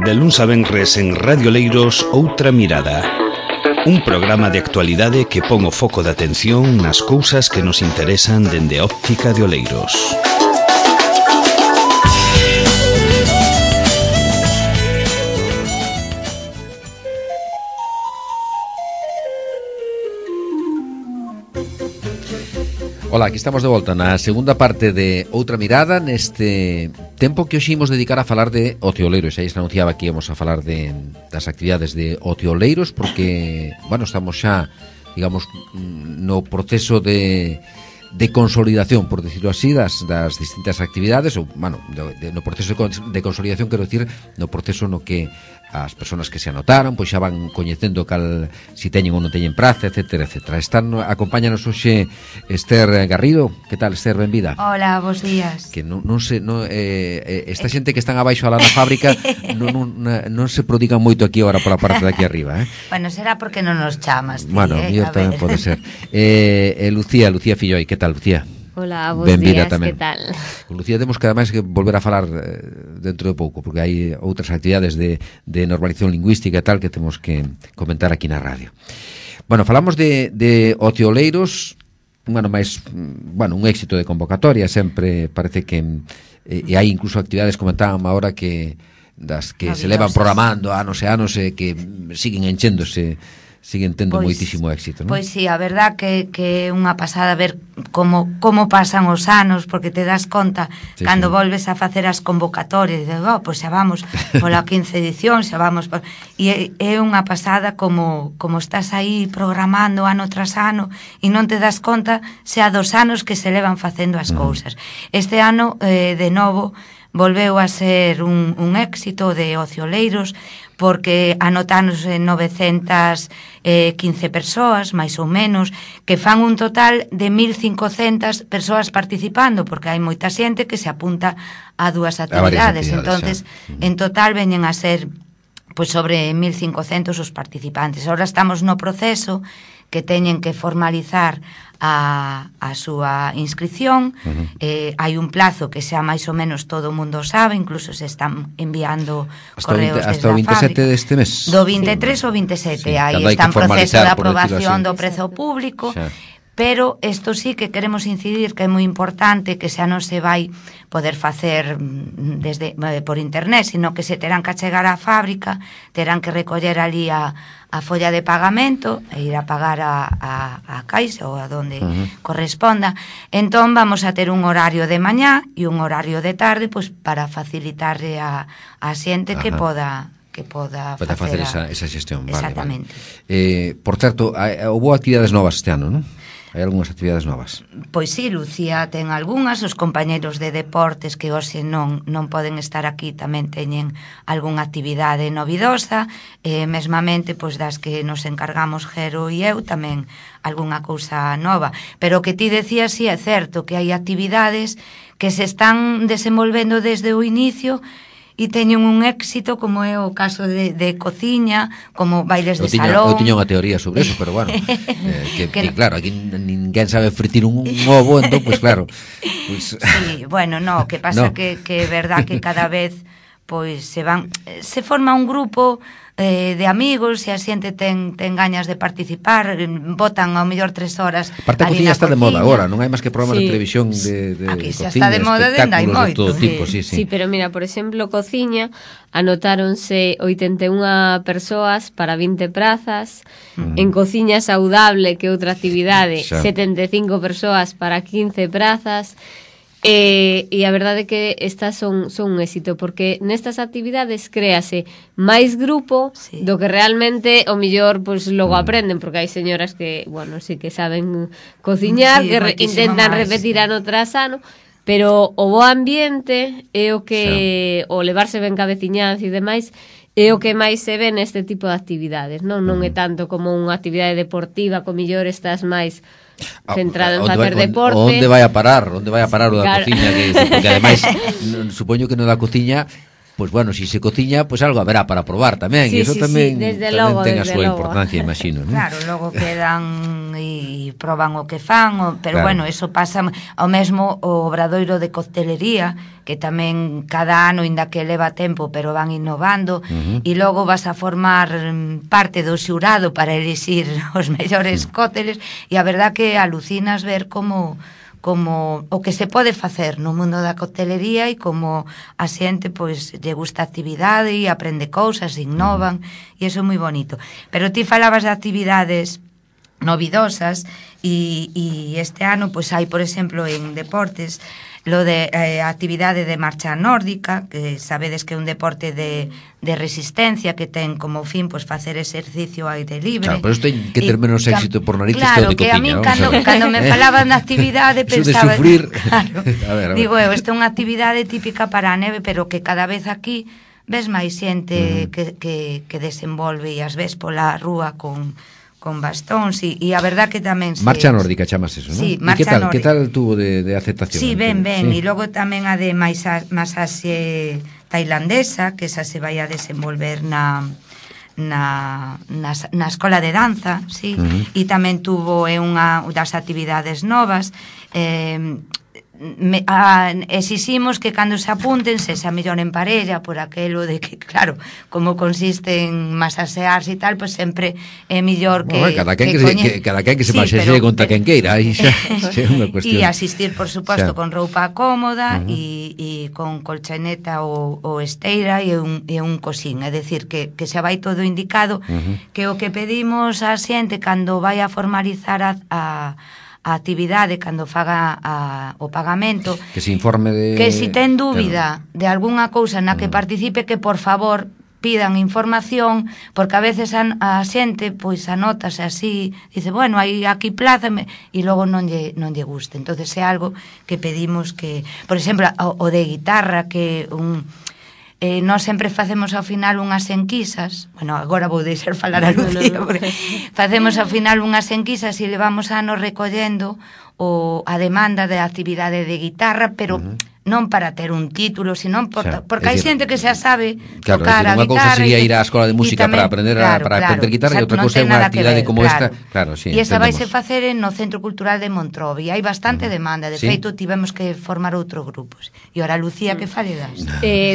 De luns a venres en Radio Oleiros, Outra Mirada. Un programa de actualidade que pon o foco de atención nas cousas que nos interesan dende a óptica de Oleiros. Ola, aquí estamos de volta na segunda parte de Outra Mirada, neste tempo que hoxe imos dedicar a falar de Otioleiros. Aí se anunciaba que íamos a falar das actividades de Otioleiros, porque, bueno, estamos xa, digamos, no proceso de consolidación, por decirlo así, das distintas actividades, ou, bueno, no proceso de consolidación, quero dicir, no proceso no que as persoas que se anotaron pois xa van coñecendo cal si teñen ou non teñen praza, etcétera, etcétera. Acompáñanos hoxe Esther Garrido. Que tal, Esther? Benvida. Hola, bons días. Que non esta xente que están abaixo alá na fábrica non se prodigan moito aquí agora pola parte de aquí arriba, eh? Bueno, será porque non nos chamas, ti, bueno, mellor tamén pode ser. Lucía Filloi, que tal, Lucía? Hola, bons días, que tal? Con Lucía temos que ademais que volver a falar dentro de pouco, porque hai outras actividades de normalización lingüística e tal que temos que comentar aquí na radio. Bueno, falamos de Otioleiros, un éxito de convocatoria, sempre parece que e hai incluso actividades, comentábamos agora, que das que se levan programando anos e anos e que siguen enchéndose, siguen tendo moitísimo éxito, non? Pois sí, a verdad que é unha pasada ver como pasan os anos, porque te das conta cando volves a facer as convocatorias, de, pois xa vamos pola 15 edición, xa vamos e é unha pasada como estás aí programando ano tras ano e non te das conta xa dos anos que se levan facendo as cousas. Este ano, de novo, volveu a ser un éxito de Otioleiros, porque anotáronse 915 persoas, máis ou menos, que fan un total de 1.500 persoas participando, porque hai moita xente que se apunta a dúas actividades. Entonces, en total veñen a ser pois sobre 1.500 os participantes. Ahora estamos no proceso que teñen que formalizar a súa inscripción. Hai un plazo que xa máis ou menos todo o mundo sabe, incluso se están enviando correos desde a fábrica. Hasta o 27 deste mes? Do 23 ao 27, aí está en proceso de aprobación do prezo público. Pero isto sí que queremos incidir que é moi importante, que xa non se vai poder facer por internet, sino que se terán que achegar á fábrica, terán que recoller ali a folla de pagamento e ir a pagar a caixa ou a donde corresponda. Entón vamos a ter un horario de mañá e un horario de tarde, pois para facilitarle a xente que poda facer esa xestión. Exactamente. Vale. Por certo, houve actividades novas este ano, non? Hai algunhas actividades novas? Pois sí, Lucía ten algunhas. Os compañeros de deportes que hoxe non poden estar aquí tamén teñen algunha actividade novidosa, mesmamente pois das que nos encargamos Jero e eu tamén algunha cousa nova. Pero o que ti decías sí é certo, que hai actividades que se están desenvolvendo desde o inicio e teñen un éxito, como é o caso de cociña, como bailes de salón. Eu tiña unha teoría sobre eso, pero bueno, que claro, aquí ninguén sabe fritir un ovo, entón, pues claro. Pues... Sí, bueno, no, que pasa que é verdad que cada vez pois se forma un grupo de amigos e a xente ten gañas de participar, botan ao mellor 3 horas. Aparte a cociña está de moda agora, non hai máis que programas de televisión de aquí cociña, xa está de moda dende hai moito. De todo tipo, sí. Sí, pero mira, por exemplo, cociña anotáronse 81 persoas para 20 prazas, en cociña saudable, que outra actividade, 75 persoas para 15 prazas. E a verdade é que estas son un éxito, porque nestas actividades créase máis grupo do que realmente o mellor pois logo aprenden, porque hai señoras que, bueno, sí que saben cociñar, que intentan repetir ano tras ano, pero o bo ambiente é o que o levarse ben cabeciñanza e demais é o que máis se ve neste tipo de actividades, non é tanto como unha actividade deportiva, co mellor estás máis centrado en facer deporte. Onde vai a parar o da cociña, porque ademais supoño que no da cociña pois bueno, si se cociña, pois algo haberá para probar tamén, e iso tamén ten a súa importancia, imagino, non? Claro, logo quedan van e proban o que fan, pero bueno, eso pasa ao mesmo o obradoiro de coctelería, que tamén cada ano, inda que leva tempo, pero van innovando, e logo vas a formar parte do xurado para elixir os mellores cócteles, e a verdad que alucinas ver como o que se pode facer no mundo da coctelería e como a xente pois lle gusta a actividade e aprende cousas, innovan, e iso é moi bonito. Pero ti falabas de actividades novidosas e este ano pois hai, por exemplo, en deportes lo de actividade de marcha nórdica, que sabedes que é un deporte de resistencia que ten como fin pois facer exercicio ao aire libre. Claro, pero isto ten que ter menos éxito por narices que o de cociña. Claro, que a min cando me falaban de actividade pensaba... Eso de sufrir... Claro, a ver. Digo esta é unha actividade típica para a neve, pero que cada vez aquí ves máis xente que desenvolve e as ves pola rúa con bastóns e a verdad que tamén Marcha nórdica chamas eso, non? Sí, marcha nórdica. Que tal tuvo de aceptación? Sí, ben, e logo tamén a de masaxe tailandesa, que esa se vai a desenvolver na escola de danza, sí, e tamén tuvo unha das actividades novas. Exiximos que cando se apunten se xa mellor en parella, por aquelo de que, claro, como consiste en masasearse e tal, pois sempre é mellor que... Bueno, cada quen que se masaxee contra quen queira, aí xa é unha cuestión. E asistir, por suposto, con roupa cómoda e con colchoneta ou esteira e un cosín, é dicir, que xa vai todo indicado, que o que pedimos á xente cando vai a formalizar a actividade, cando faga o pagamento, que se informe de... que se ten dúbida de algunha cousa na que participe, que por favor pidan información, porque a veces a xente pois anótase así, dice, bueno, hai aquí plaza, e logo non lle guste. Entonces é algo que pedimos que, por exemplo, o de guitarra, que nós sempre facemos ao final unhas enquisas, bueno, agora vou deixar falar a Lucía, porque facemos ao final unhas enquisas e levamos anos recollendo a demanda de actividade de guitarra, pero non para ter un título, sino porque hai xente que xa sabe tocar a guitarra. Unha cousa sería ir á escola de música para aprender guitarra e outra cousa é unha actividade como esta. E esa vaise facer no Centro Cultural de Montrovi. Hai bastante demanda, de feito tivemos que formar outros grupos. E ora, Lucía, que fale das?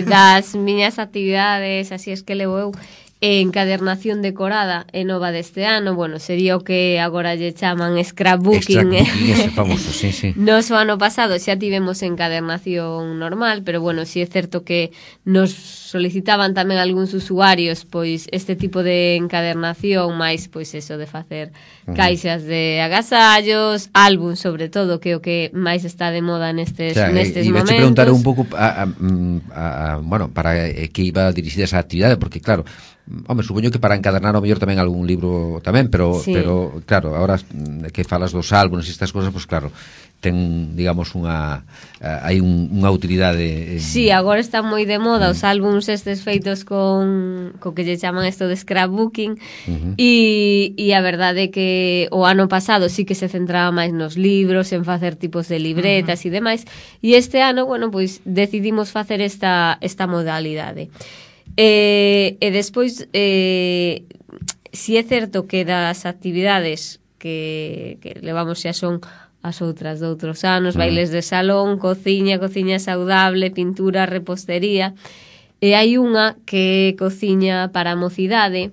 Das miñas actividades, así es que levo eu, encadernación decorada é nova deste ano, bueno, sería o que agora lle chaman scrapbooking. Ese famoso, sí. Nos o ano pasado xa tivemos encadernación normal, pero bueno, si é certo que nos solicitaban tamén algúns usuarios pois este tipo de encadernación, máis pois eso de facer caixas de agasallos, álbum sobre todo, que é o que máis está de moda nestes momentos. E iba a preguntar un pouco bueno, para que iba dirigida esa actividade, porque claro, supoño que para encadernar ao mellor tamén algún libro tamén, pero claro, agora que falas dos álbumes e estas cousas, pois claro, ten, digamos, hai unha utilidade. Sí, agora está moi de moda os álbuns estes feitos con que lle chaman isto de scrapbooking, e a verdade é que o ano pasado sí que se centraba máis nos libros, en facer tipos de libretas e demais, e este ano, bueno, pois decidimos facer esta modalidade. E despois si é certo que das actividades que levamos xa son as outras de outros anos, bailes de salón, cociña saudable, pintura, repostería, e hai unha que é cociña para a mocidade,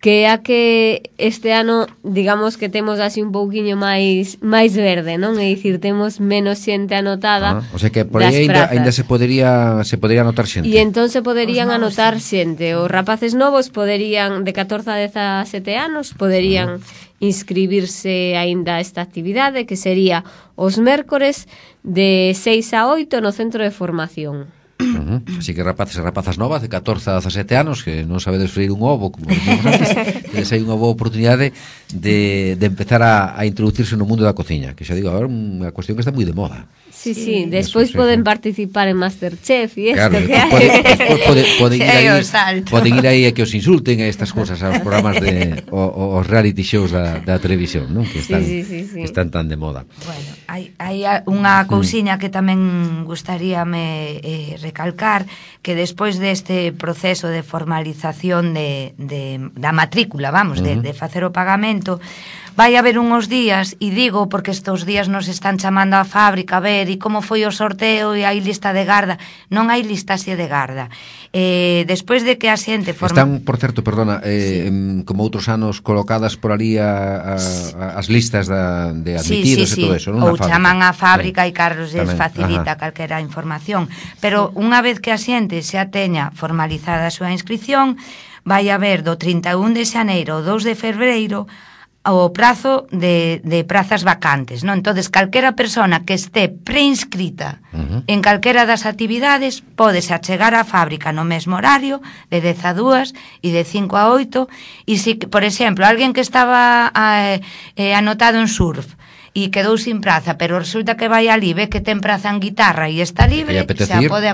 que é a que este ano, digamos que temos así un pouquiño máis verde, non? É dicir, temos menos xente anotada. O sea que por aí ainda se podería anotar xente. E entón se poderían anotar xente. Os rapaces novos poderían, de 14 a 17 anos, poderían inscribirse aínda a esta actividade, que sería os mércores de 6 a 8 no centro de formación. Así que rapaces e rapazas novas de 14 a 17 anos que non sabedes freír un ovo, como dicimos antes, tedes aí unha boa oportunidade de empezar a introducirse no mundo da cociña, que xa digo, agora é unha cuestión que está moi de moda. Sí, despois poden participar en Masterchef e isto, claro, que hai. Poden ir aí a que os insulten a estas cousas, aos programas de os reality shows da televisión, non? Que están tan de moda. Bueno, hai unha cousiña que tamén gustaríame recalcar, que despois deste proceso de formalización da matrícula, vamos, de facer o pagamento, vai haber unhos días, e digo porque estes días nos están chamando á fábrica a ver e como foi o sorteo e hai lista de garda. Non hai listaxe de garda. Despois de que a xente Están, por certo, perdona, como outros anos colocadas por ali as listas de admitidos e todo eso, non? Ou chaman á fábrica e Carlos les facilita calquera información. Pero unha vez que a xente xa teña formalizada a súa inscripción, vai haber do 31 de xaneiro ao 2 de febreiro o prazo de prazas vacantes, non? Entonces, calquera persona que este preinscrita en calquera das actividades podes achegar á fábrica no mesmo horario, de 10 a 2 e de 5 a 8, e si, por exemplo, alguén que estaba anotado en surf e quedou sin praza, pero resulta que vai ali, ve que ten praza en guitarra e está libre, xa pode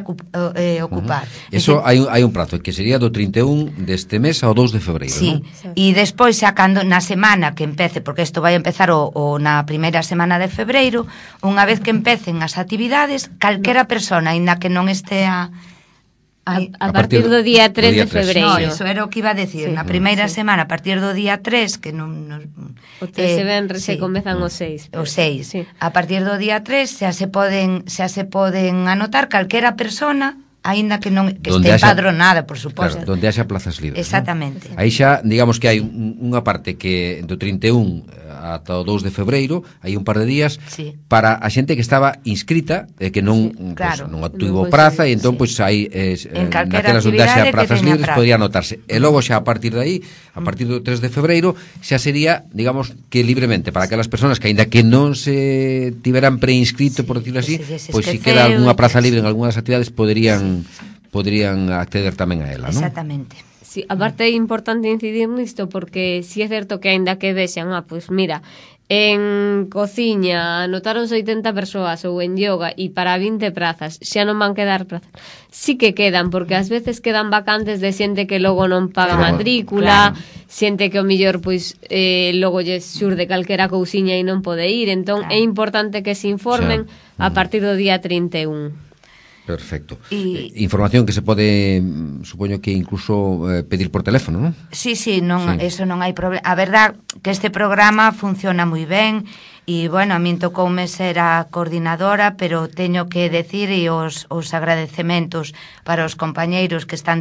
ocupar. Eso hai un prazo, que sería do 31 deste mes ao 2 de febreiro, sí, non? E despois xa cando na semana que empece, porque isto vai empezar na primeira semana de febreiro, unha vez que empecen as actividades, calquera persona, aínda que non estea a partir do día 3 de febreiro. No, eso era o que iba a decir. Na primeira semana, a partir do día 3, que non... O 3 e venres se comezan o 6. O 6. A partir do día 3 xa se poden anotar calquera persona, aínda que non que este empadronada, por suposto. Claro, donde haxa plazas libres. Exactamente. Aí xa, digamos que hai unha parte que do 31 ata o 2 de febreiro, hai un par de días para a xente que estaba inscrita e que non non obtivo praza, e entón pois aí naquelas onde haxa plazas libres podría anotarse. E logo xa a partir de aí, a partir do 3 de febreiro, xa sería, digamos, que libremente para aquelas persoas que aínda que non se tiveran preinscrito, por decirlo así, pois se queda algunha praza libre en algunhas actividades poderían acceder tamén a ela, non? Exactamente. Sí, aparte é importante incidir nisto porque si é certo que aínda que vexan, pois mira, en cociña anotáronse 80 persoas ou en yoga e para 20 prazas xa non van quedar prazas. Sí que quedan, porque ás veces quedan vacantes de xente que logo non paga matrícula, xente que o mellor pois logo lle xurde calquera cousiña e non pode ir, entón é importante que se informen a partir do día 31. Perfecto. Información que se pode, supoño que incluso pedir por teléfono, non? Sí, eso non hai problema. A verdad que este programa funciona moi ben e, bueno, a min tocoume ser a coordinadora, pero teño que decir e os agradecementos para os compañeiros que están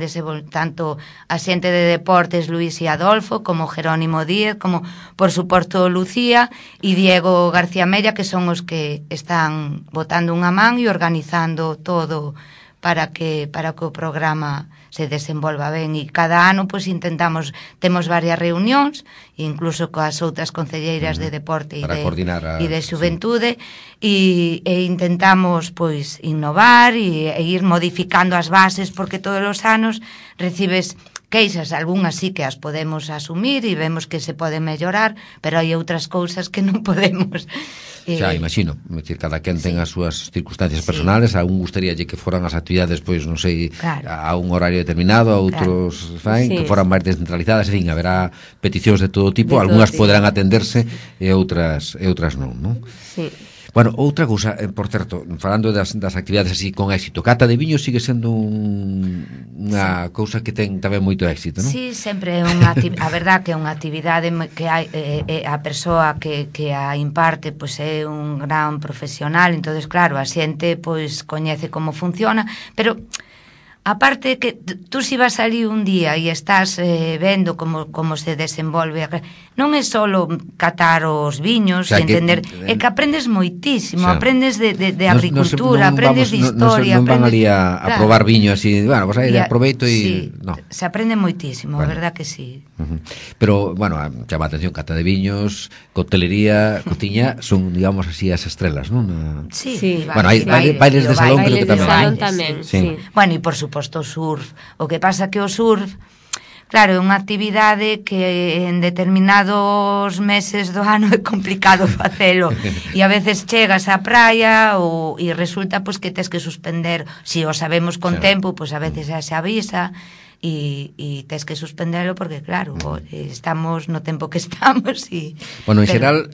tanto a xente de deportes Luís e Adolfo, como Jerónimo Díez, como, por suposto, Lucía e Diego García Mella, que son os que están botando unha man e organizando todo para que o programa se desenvolva ben, e cada ano pois temos varias reunións, incluso coas outras concelleiras de deporte e de xuventude, e intentamos pois innovar e ir modificando as bases, porque todos os anos recibes queixas, algunhas sí que as podemos asumir e vemos que se pode mellorar, pero hai outras cousas que non podemos. Xa, imagino, cada quen ten as súas circunstancias personales, a un gustaríalle que foran as actividades, pois, non sei, a un horario determinado, a outros que foran máis descentralizadas, en fin, haberá peticións de todo tipo, algunhas poderán atenderse e outras non, non? Sí. Bueno, outra cousa, por certo, falando das actividades así con éxito, cata de viño sigue sendo unha cousa que ten tamén moito éxito, non? Sí, sempre é unha a verdad que é unha actividade que hai a persoa que a imparte pois é un gran profesional, entonces claro, a xente pois coñece como funciona, pero aparte que tú si vas ali un día e estás vendo como se desenvolve, non é só catar os viños e entender, é que aprendes moitísimo, aprendes de agricultura, aprendes de historia. Non van ali a probar viño así, bueno, pues aí aproveito e... Se aprende moitísimo, a verdad que sí. Pero, bueno, chama a atención, cata de viños, coctelería, cociña, son, digamos así, as estrelas, non? Sí. Bueno, hai bailes de salón, creo que tamén. Bueno, e por suposto o surf. O que pasa que o surf, claro, é unha actividade que en determinados meses do ano é complicado facelo e a veces chegas á praia e resulta pois que tes que suspender, si o sabemos con tempo, pois a veces xa se avisa e tes que suspendelo porque claro, estamos no tempo que estamos e... Bueno, en xeral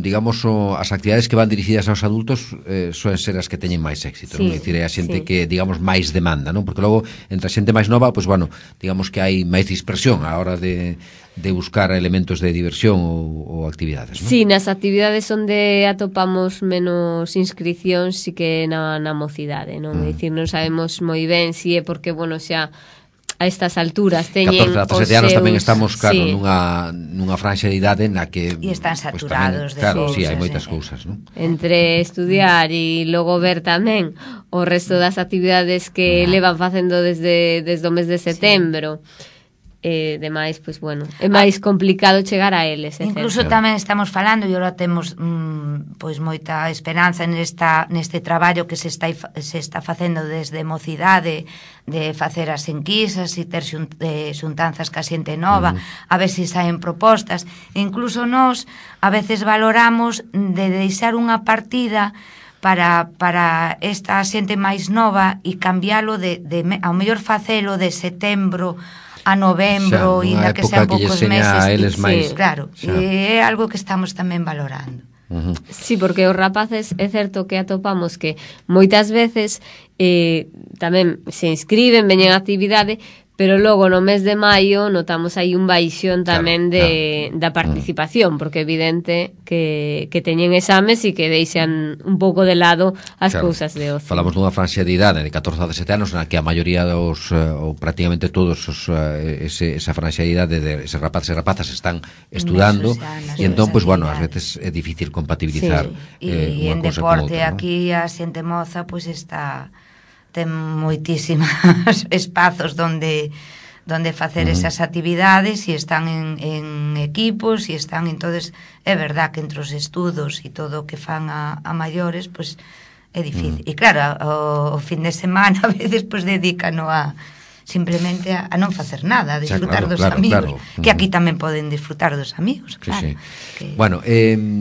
digamos, as actividades que van dirixidas aos adultos soen ser as que teñen máis éxito, non? É dicir, é a xente que, digamos, máis demanda, non? Porque logo, entre a xente máis nova, pois, bueno, digamos que hai máis dispersión a hora de de buscar elementos de diversión ou actividades, non? Sí, nas actividades onde atopamos menos inscripcións sí que na mocidade, non? É dicir, non sabemos moi ben se é porque, bueno, xa a estas alturas teñen 14 a 17 anos tamén estamos, claro, nunha franxa de idade na que... E están saturados pues, tamén, claro, de cousas. sí, hai moitas cousas, non? Entre estudiar e logo ver tamén o resto das actividades que levan facendo desde o mes de setembro. Demais, pois, bueno, é máis complicado chegar a eles. Incluso tamén estamos falando e agora temos pois moita esperanza neste traballo que se está facendo desde mocidade, de facer as enquisas e ter xuntanzas ca xente nova, a ver se saen propostas. E incluso nós a veces valoramos de deixar unha partida para esta xente máis nova e cambiálo ao mellor facelo de setembro a novembro, ainda que sean poucos meses. Sí, claro, e é algo que estamos tamén valorando. Sí, porque os rapaces é certo que atopamos que moitas veces tamén se inscriben, veñen a actividade, pero logo no mes de maio notamos aí un baixón tamén da participación, porque é evidente que teñen exames e que deixan un pouco de lado as cousas de ocio. Falamos dunha franxa de idade de 14 a 17 anos na que a maioría dos, ou prácticamente todos esa franxa de idade de eses rapaces e rapazas están estudando e entón, pois, bueno, ás veces é difícil compatibilizar e en deporte aquí a xente moza pois está... ten moitísimos espazos donde facer esas actividades e están en equipos e están, entonces é verdad que entre os estudos e todo o que fan a maiores, pois é difícil. E claro, o fin de semana a veces pois dedícano simplemente a non facer nada, a disfrutar dos amigos, que aquí tamén poden disfrutar dos amigos, claro. Bueno,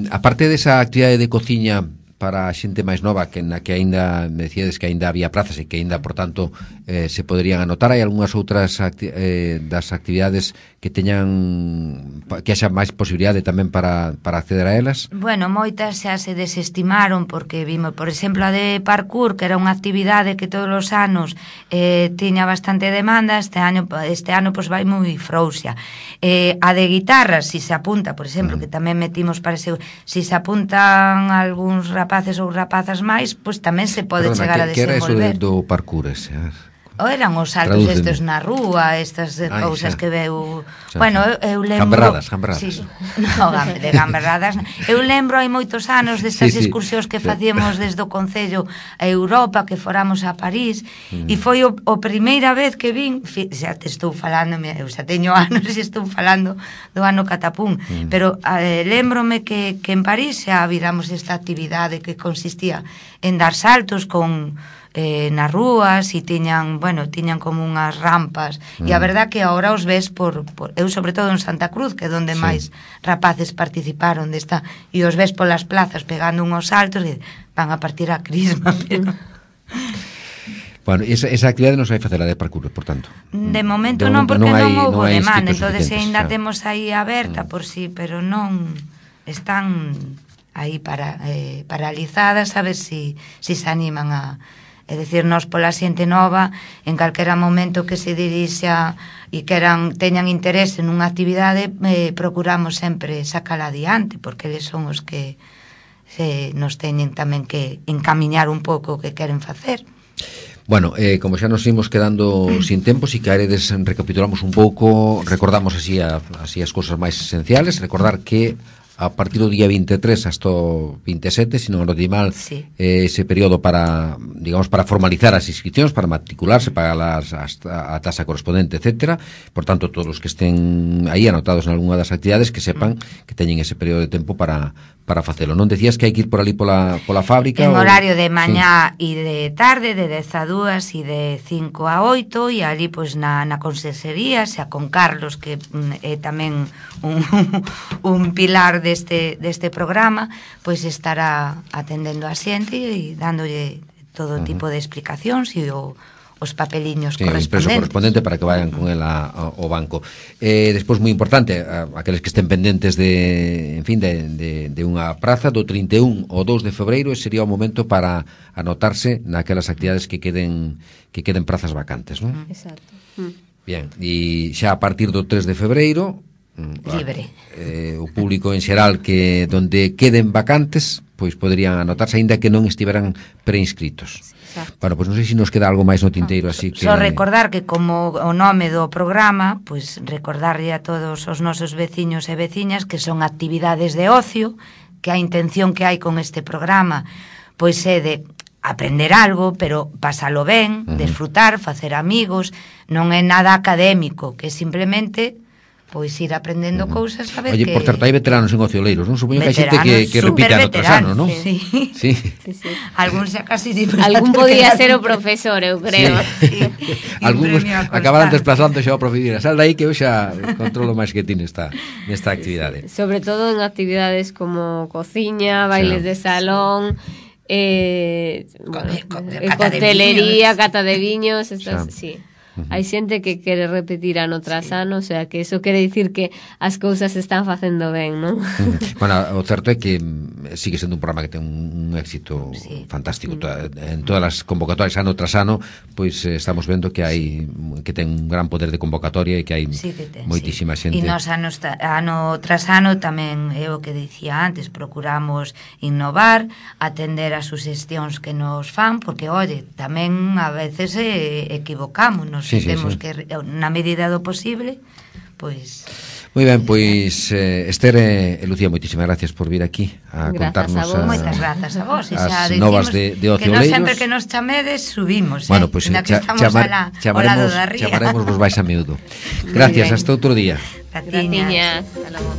aparte desa actividade de cociña para a xente máis nova na que aínda me decíades que aínda había plazas e que aínda, por tanto, se poderían anotar, hai algunhas outras das actividades que teñan que haxa máis posibilidade tamén para acceder a elas? Bueno, moitas xa se desestimaron porque vimos, por exemplo, a de parkour, que era unha actividade que todos os anos tiña bastante demanda, este ano pois vai moi frouxa. A de guitarra, si se apunta, por exemplo, que tamén metimos para ese, si se apuntan algúns rapaces ou rapazas máis, pois tamén se pode chegar a desenvolver. Que era eso do parkour ese? Ou eran os saltos estes na rúa, estas cousas que veu... Bueno, eu lembro... Gamberradas. Sí, no, de gamberradas. Eu lembro hai moitos anos destas excursións que facíamos desde o Concello a Europa, que foramos a París, e foi o primeira vez que vin, xa te estou falando, eu xa teño anos e estou falando do ano Catapún, pero lembrome que en París xa viramos esta actividade que consistía en dar saltos con... nas rúas e tiñan como unhas rampas e a verdad que agora os ves eu sobre todo en Santa Cruz, que é onde máis rapaces participaron desta, e os ves polas plazas pegando unhos saltos e van a partir a crisma, pero... Bueno, esa actividade non se vai facer a de parkour, por tanto. De momento non, porque non houve demanda, entonces ainda temos aí aberta por si, pero non están aí paralizadas, a ver si se animan a... É dicir, nós pola xente nova, en calquera momento que se dirixa e teñan interese nunha actividade, procuramos sempre sacala adiante, porque eles son os que nos teñen tamén que encamiñar un pouco o que queren facer. Bueno, como xa nos imos quedando sin tempo, si queredes recapitulamos un pouco, recordamos así as cousas máis esenciales, recordar que a partir do día 23 hasta o 27, se non lo di mal, ese período para formalizar as inscripcións, para matricularse, pagar a tasa correspondente, etcétera. Por tanto, todos os que estén aí anotados en algunha das actividades que sepan que teñen ese período de tempo para facelo. Non decías que hai que ir por ali pola fábrica? En horario de mañá e de tarde, de 10 a 2 e de 5 a 8, e ali pois na conserxería, xa con Carlos, que é tamén un pilar deste programa, pois estará atendendo a xente e dándolle todo tipo de explicacións e os papeliños correspondentes. O impreso correspondente para que vayan con el ao banco. Despois, moi importante, aqueles que estén pendentes de unha praza do 31 ao 2 de febreiro, sería o momento para anotarse naquelas actividades que queden prazas vacantes, non? Exacto. Bien, e xa a partir do 3 de febreiro libre. O público en xeral que donde queden vacantes, pois poderían anotarse aínda que non estiveran preinscritos. Bueno, pois non sei se nos queda algo máis no tinteiro, así que... Só recordar que como o nome do programa, pois recordarlle a todos os nosos veciños e veciñas que son actividades de ocio, que a intención que hai con este programa pois é de aprender algo, pero pasalo ben, desfrutar, facer amigos, non é nada académico, que simplemente pois ir aprendendo cousas, a ver. Oye, que... por certo, hai veteranos en Ocioleiros, non? Supoño que hai xente que repite ano tras ano, non? Sí. Sí. Algún xa casi... Algún podía ser o profesor, eu creo. Sí. Algúns acabaran desplazando xa o profesor. Sal dai que eu xa controlo máis que ti nesta actividade. Sobre todo en actividades como cociña, bailes de salón, coctelería, cata de viños, estas, sí. Hai xente que quere repetir ano tras ano, o sea, que eso quere dicir que as cousas se están facendo ben, non? Bueno, o certo é que sigue sendo un programa que ten un éxito fantástico. En todas as convocatorias ano tras ano, pois estamos vendo que hai que ten un gran poder de convocatoria e que hai moitísima xente. E nos ano tras ano tamén é o que dicía antes, procuramos innovar, atender as suxestións que nos fan, porque, oye, tamén a veces equivocámonos. Temos que, na medida do posible, pois... Moi ben, pois Esther e Lucía, moitísimas gracias por vir aquí a contarnos moitas grazas a vos, as novas de Ocioleiros. Que sempre que nos chamedes subimos, bueno, pois chamaremos vos vais a miúdo. Gracias, hasta outro día. Gratiñas. Hasta logo.